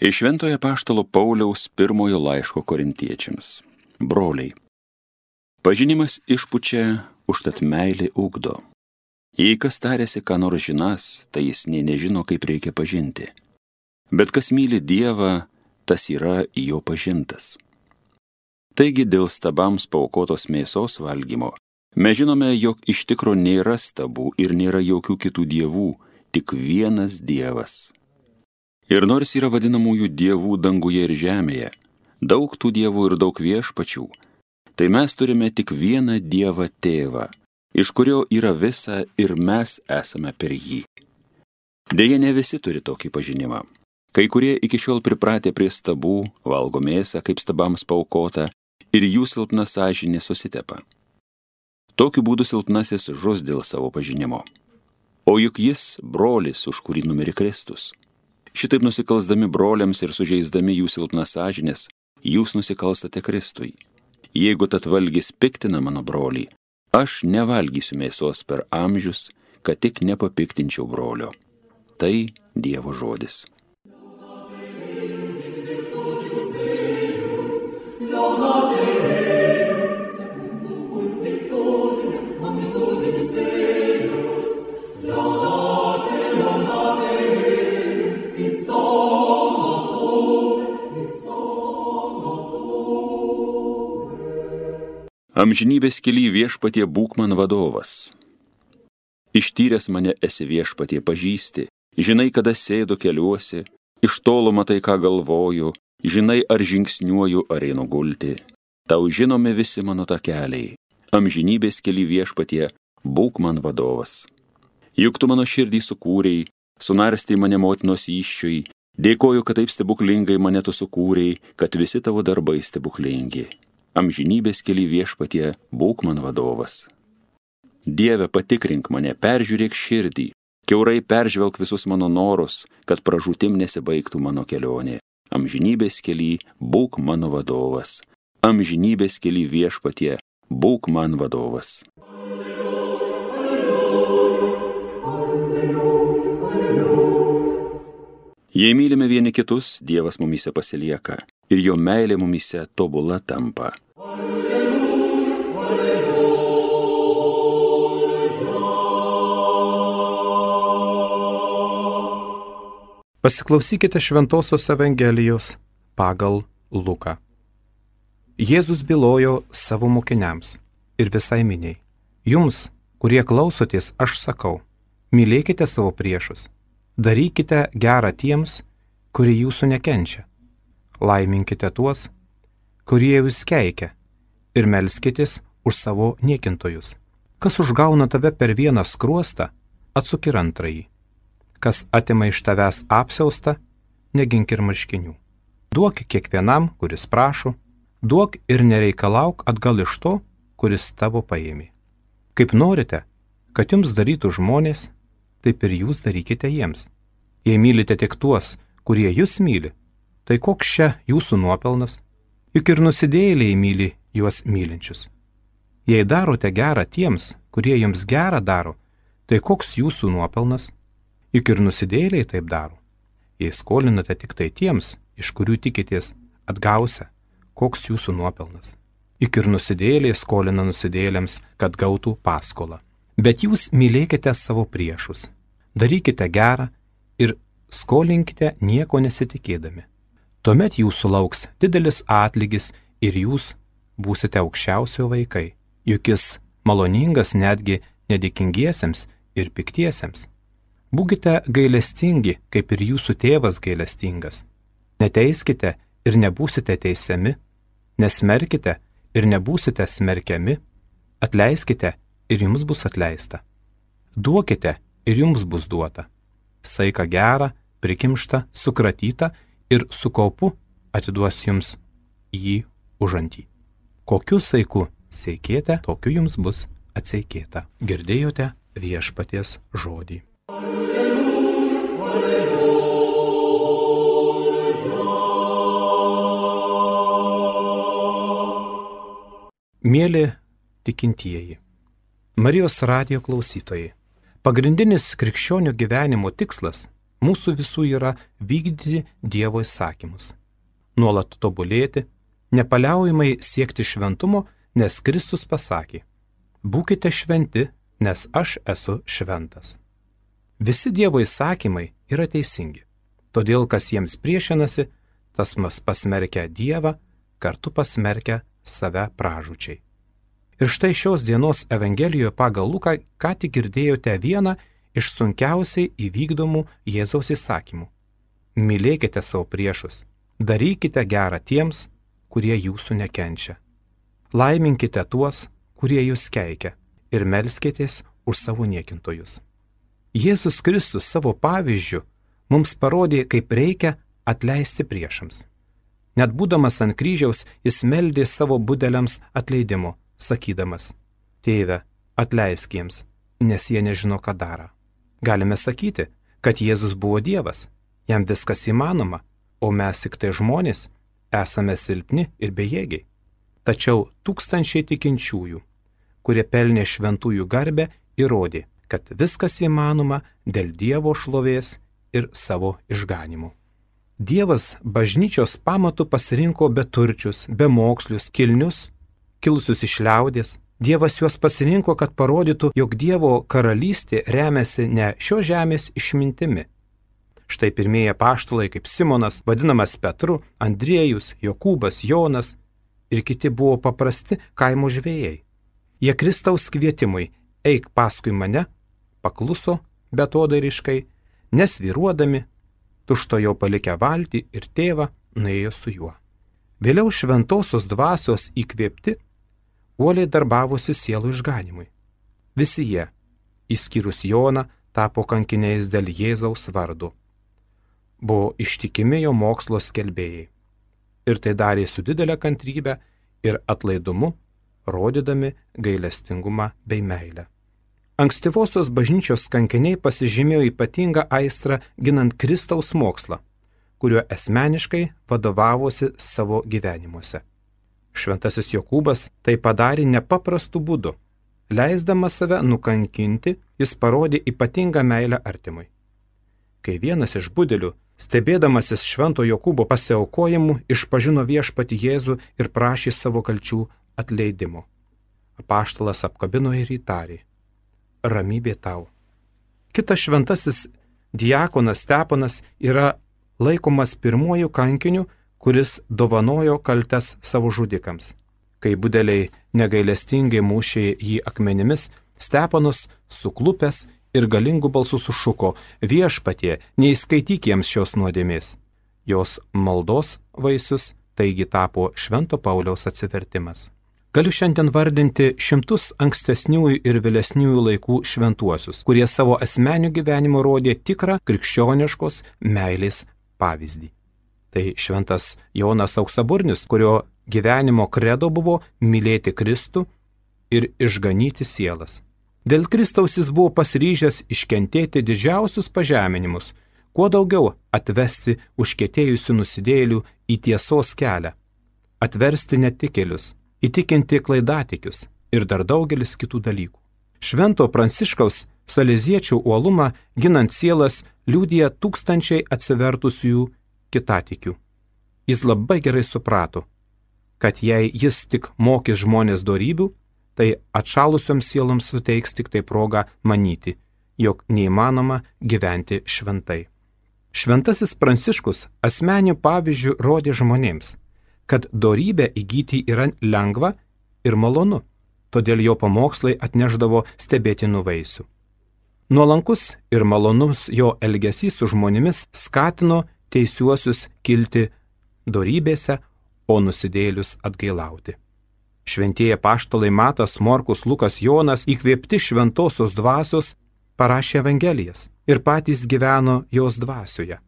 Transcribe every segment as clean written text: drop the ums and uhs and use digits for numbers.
Iš Šventojo Apaštalo Pauliaus pirmojo laiško korintiečiams. Broliai, pažinimas išpučia, užtat meilė ugdo. Jei kas tarėsi, ką nors žinas, tai jis nė nežino, kaip reikia pažinti. Bet kas myli Dievą, tas yra jo pažintas. Taigi dėl stabams paaukotos mėsos valgymo mes žinome, jog iš tikro nėra stabų ir nėra jokių kitų dievų, tik vienas Dievas. Ir nors yra vadinamųjų dievų danguje ir žemėje, daug tų dievų ir daug viešpačių, tai mes turime tik vieną Dievą Tėvą, iš kurio yra visa ir mes esame per jį. Deja, ne visi turi tokį pažinimą. Kai kurie iki šiol pripratę prie stabų, valgo mėsą, kaip stabams paaukota, ir jų silpna sąžinė susitepa. Tokiu būdu silpnasis žus dėl savo pažinimo. O juk jis brolis, už kurį numirė Kristus. Šitaip nusikalsdami broliams ir sužeisdami jų silpnas sąžinės, jūs nusikalstate Kristui. Jeigu tad valgis piktina mano brolį, aš nevalgysiu mėsos per amžius, kad tik nepapiktinčiau brolio. Tai Dievo žodis. Amžinybės kely viešpatie būk man vadovas. Ištyręs mane esi viešpatie pažįsti, žinai, kada sėdu keliuosi, iš tolo matai, ką galvoju, žinai, ar žingsniuoju, ar einu gulti. Tau žinomi visi mano takeliai. Amžinybės kely viešpatie būk man vadovas. Juk tu mano širdį sukūrei, sunarstei mane motinos įsčiui, dėkoju, kad taip stebuklingai mane tu sukūrei, kad visi tavo darbai stebuklingi. Amžinybės kely viešpatie būk man vadovas. Dieve, patikrink mane, peržiūrėk širdį, kiaurai peržvelk visus mano norus, kad pražūtim nesibaigtų mano kelionė. Amžinybės kely būk mano vadovas. Amžinybės kely viešpatie būk man vadovas. Jei mylime vieni kitus, Dievas mumyse pasilieka ir jo meilė mumyse tobula tampa. Pasiklausykite Šventosios Evangelijos pagal Luką. Jėzus bylojo savo mokiniams ir visai miniai. Jums, kurie klausotės, aš sakau, mylėkite savo priešus, darykite gerą tiems, kurie jūsų nekenčia, laiminkite tuos, kurie jūs keikia, ir melskitės už savo niekintojus. Kas užgauna tave per vieną skruostą, atsuk ir antrąjį. Kas atima iš tavęs apsiaustą, negink ir marškinių. Duok kiekvienam, kuris prašo, duok ir nereikalauk atgal iš to, kuris tavo paėmė. Kaip norite, kad jums darytų žmonės, taip ir jūs darykite jiems. Jei mylite tik tuos, kurie jūs myli, tai koks čia jūsų nuopelnas? Juk ir nusidėjėliai myli juos mylinčius. Jei darote gerą tiems, kurie jums gerą daro, tai koks jūsų nuopelnas? Juk ir nusidėjėliai taip daro. Jei skolinate tik tai tiems, iš kurių tikitės atgausia, koks jūsų nuopelnas? Juk ir nusidėjėliai skolina nusidėjėliams, kad gautų paskolą. Bet jūs mylėkite savo priešus, darykite gerą ir skolinkite nieko nesitikėdami. Tuomet jūsų lauks didelis atlygis ir jūs būsite aukščiausio vaikai, juk jis maloningas netgi nedėkingiesiems ir piktiesiems. Būkite gailestingi, kaip ir jūsų tėvas gailestingas. Neteiskite ir nebūsite teisiami, nesmerkite ir nebūsite smerkiami, atleiskite ir jums bus atleista. Duokite ir jums bus duota. Saiką gerą, prikimštą, sukratytą ir su kaupu atiduos jums jį užantį. Kokiu saiku seikėte, tokiu jums bus atseikėta. Girdėjote viešpaties žodį. Mieli tikintieji, Marijos radijo klausytojai, pagrindinis krikščionių gyvenimo tikslas mūsų visų yra vykdyti Dievo įsakymus, nuolat tobulėti, nepaliaujamai siekti šventumo, nes Kristus pasakė: būkite šventi, nes aš esu šventas. Visi Dievo įsakymai yra teisingi, todėl kas jiems priešinasi, tas pasmerkia Dievą, kartu pasmerkia save pražūčiai. Ir štai šios dienos Evangelijoje pagal Luką ką tik girdėjote vieną iš sunkiausiai įvykdomų Jėzaus įsakymų. Mylėkite savo priešus, darykite gerą tiems, kurie jūsų nekenčia. Laiminkite tuos, kurie jūs keikia, ir melskitės už savo niekintojus. Jėzus Kristus savo pavyzdžiu mums parodė, kaip reikia atleisti priešams. Net būdamas ant kryžiaus, jis meldė savo budeliams atleidimo, sakydamas: Tėve, atleisk jiems, nes jie nežino, ką daro. Galime sakyti, kad Jėzus buvo Dievas, jam viskas įmanoma, o mes tik tai žmonės, esame silpni ir bejėgiai. Tačiau tūkstančiai tikinčiųjų, kurie pelnė šventųjų garbę, įrodė, kad viskas įmanoma dėl Dievo šlovės ir savo išganimų. Dievas bažnyčios pamatų pasirinko beturčius, bemokslius, kilnius, kilusius iš liaudės. Dievas juos pasirinko, kad parodytų, jog Dievo karalystė remiasi ne šios žemės išmintimi. Štai pirmieji apaštalai kaip Simonas, vadinamas Petru, Andriejus, Jokūbas, Jonas ir kiti buvo paprasti kaimo žvejai. Jie Kristaus kvietimui eik paskui mane pakluso beatodairiškai, nesvyruodami, tučtuojau palikę valtį ir tėvą nuėjo su juo. Vėliau šventosios dvasios įkvėpti uoliai darbavosi sielų išganimui. Visi jie, išskyrus Joną, tapo kankiniais dėl Jėzaus vardo. Buvo ištikimi jo mokslo skelbėjai. Ir tai darė su didelė kantrybė ir atlaidumu, rodydami gailestingumą bei meilę. Ankstyvosios bažnyčios kankiniai pasižymėjo ypatingą aistrą ginant Kristaus mokslą, kuriuo asmeniškai vadovavosi savo gyvenimuose. Šventasis Jokūbas tai padarė nepaprastu būdu. Leisdamas save nukankinti, jis parodė ypatingą meilę artimui. Kai vienas iš budelių, stebėdamasis švento Jokūbo pasiaukojimu, išpažino viešpatį Jėzų ir prašė savo kalčių atleidimo. Apaštalas apkabino ir įtarė: ramybė tau. Kitas šventasis diakonas Steponas yra laikomas pirmuoju kankiniu, kuris dovanojo kaltes savo žudikams. Kai budeliai negailestingai mušė jį akmenimis, Steponas suklupęs ir galingu balsu sušuko: viešpatie, neįskaityk jiems šios nuodėmės. Jos maldos vaisius taigi tapo Švento Pauliaus atsivertimas. Galiu šiandien vardinti šimtus ankstesniųjų ir vėlesniųjų laikų šventuosius, kurie savo asmeniu gyvenimu rodė tikrą krikščioniškos meilės pavyzdį. Tai šventas Jonas Auksaburnis, kurio gyvenimo kredo buvo mylėti Kristų ir išganyti sielas. Dėl Kristaus jis buvo pasiryžęs iškentėti didžiausius pažeminimus, kuo daugiau atvesti užkietėjusių nusidėjėlių į tiesos kelią, atversti netikėlius, įtikinti klaidatikius ir dar daugelis kitų dalykų. Švento Pranciškaus saleziečių uolumą ginant sielas liudija tūkstančiai atsivertusiųjų kitatikių. Jis labai gerai suprato, kad jei jis tik mokys žmonės dorybių, tai atšalusioms sieloms suteiks tik tai progą manyti, jog neįmanoma gyventi šventai. Šventasis Pranciškus asmeniu pavyzdžiu rodė žmonėms, kad dorybę įgyti yra lengva ir malonu, todėl jo pamokslai atnešdavo stebėtinų vaisių. Nuolankus ir malonus jo elgesys su žmonėmis skatino teisiuosius kilti dorybėse, o nusidėjėlius atgailauti. Šventieji apaštalai Matas, Morkus, Lukas, Jonas, įkvėpti šventosios dvasios, parašė Evangelijas ir patys gyveno jos dvasioje.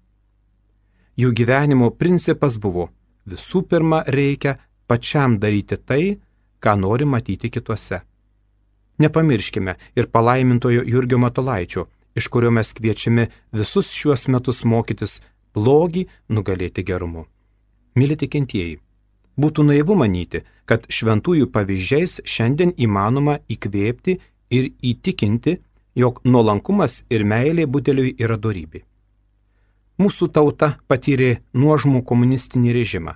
Jų gyvenimo principas buvo: visų pirma reikia pačiam daryti tai, ką nori matyti kituose. Nepamirškime ir palaimintojo Jurgio Matulaičio, iš kurio mes kviečiame visus šiuos metus mokytis blogį nugalėti gerumu. Mili tikintieji, būtų naivu manyti, kad šventųjų pavyzdžiais šiandien įmanoma įkvėpti ir įtikinti, jog nuolankumas ir meilė budeliui yra dorybė. Mūsų tauta patyrė nuožmų komunistinį režimą,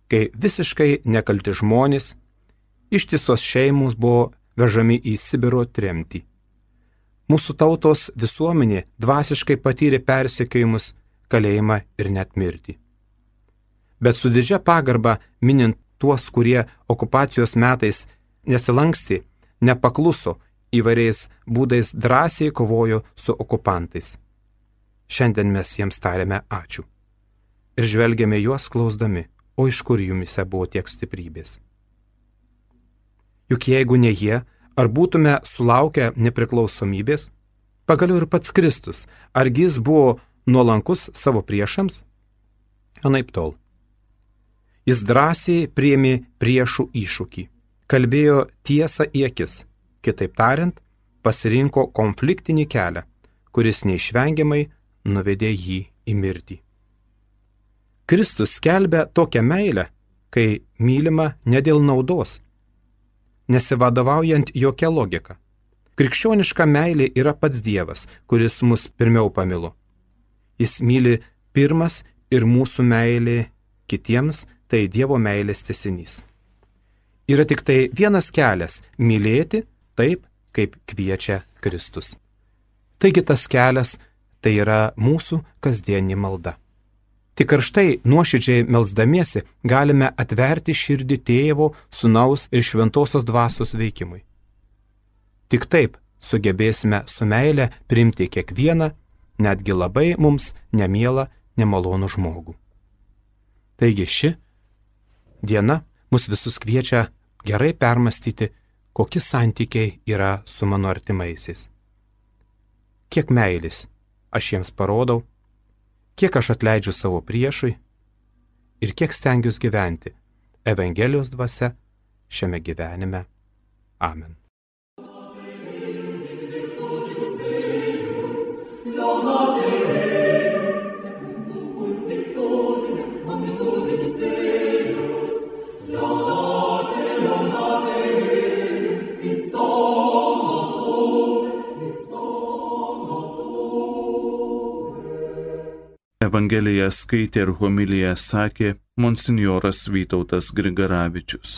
kai visiškai nekalti žmonės, ištisos šeimos buvo vežami į Sibiro tremtį. Mūsų tautos visuomenė dvasiškai patyrė persekiojimus, kalėjimą ir net mirtį. Bet su didžia pagarba minint tuos, kurie okupacijos metais nesilankstė, nepakluso, įvairiais būdais drąsiai kovojo su okupantais. Šiandien mes jiems tariame ačiū. Ir žvelgiame juos klausdami, o iš kur jumise buvo tiek stiprybės. Juk jeigu ne jie, ar būtume sulaukę nepriklausomybės, pagaliau ir pats Kristus, argi jis buvo nuolankus savo priešams? Anaiptol. Jis drąsiai priėmė priešų iššūkį, kalbėjo tiesą į akis, kitaip tariant, pasirinko konfliktinį kelią, kuris neišvengiamai nuvedė jį į mirtį. Kristus skelbia tokią meilę, kai mylima ne dėl naudos, nesivadovaujant jokia logika. Krikščioniška meilė yra pats Dievas, kuris mus pirmiau pamilo. Jis myli pirmas ir mūsų meilė kitiems tai Dievo meilės tęsinys. Yra tik tai vienas kelias – mylėti taip, kaip kviečia Kristus. Taigi tas kelias – tai yra mūsų kasdienė malda. Tik karštai nuoširdžiai melsdamiesi galime atverti širdį Tėvo, Sūnaus ir Šventosios Dvasios veikimui. Tik taip sugebėsime su meile priimti kiekvieną, netgi labai mums nemielą, nemalonų žmogų. Taigi ši diena mus visus kviečia gerai permastyti, kokie santykiai yra su mano artimaisiais. Kiek meilės aš jiems parodau, kiek aš atleidžiu savo priešui ir kiek stengiuosi gyventi Evangelijos dvasia šiame gyvenime. Amen. Evangeliją skaitė ir homiliją sakė monsinjoras Vytautas Grigaravičius.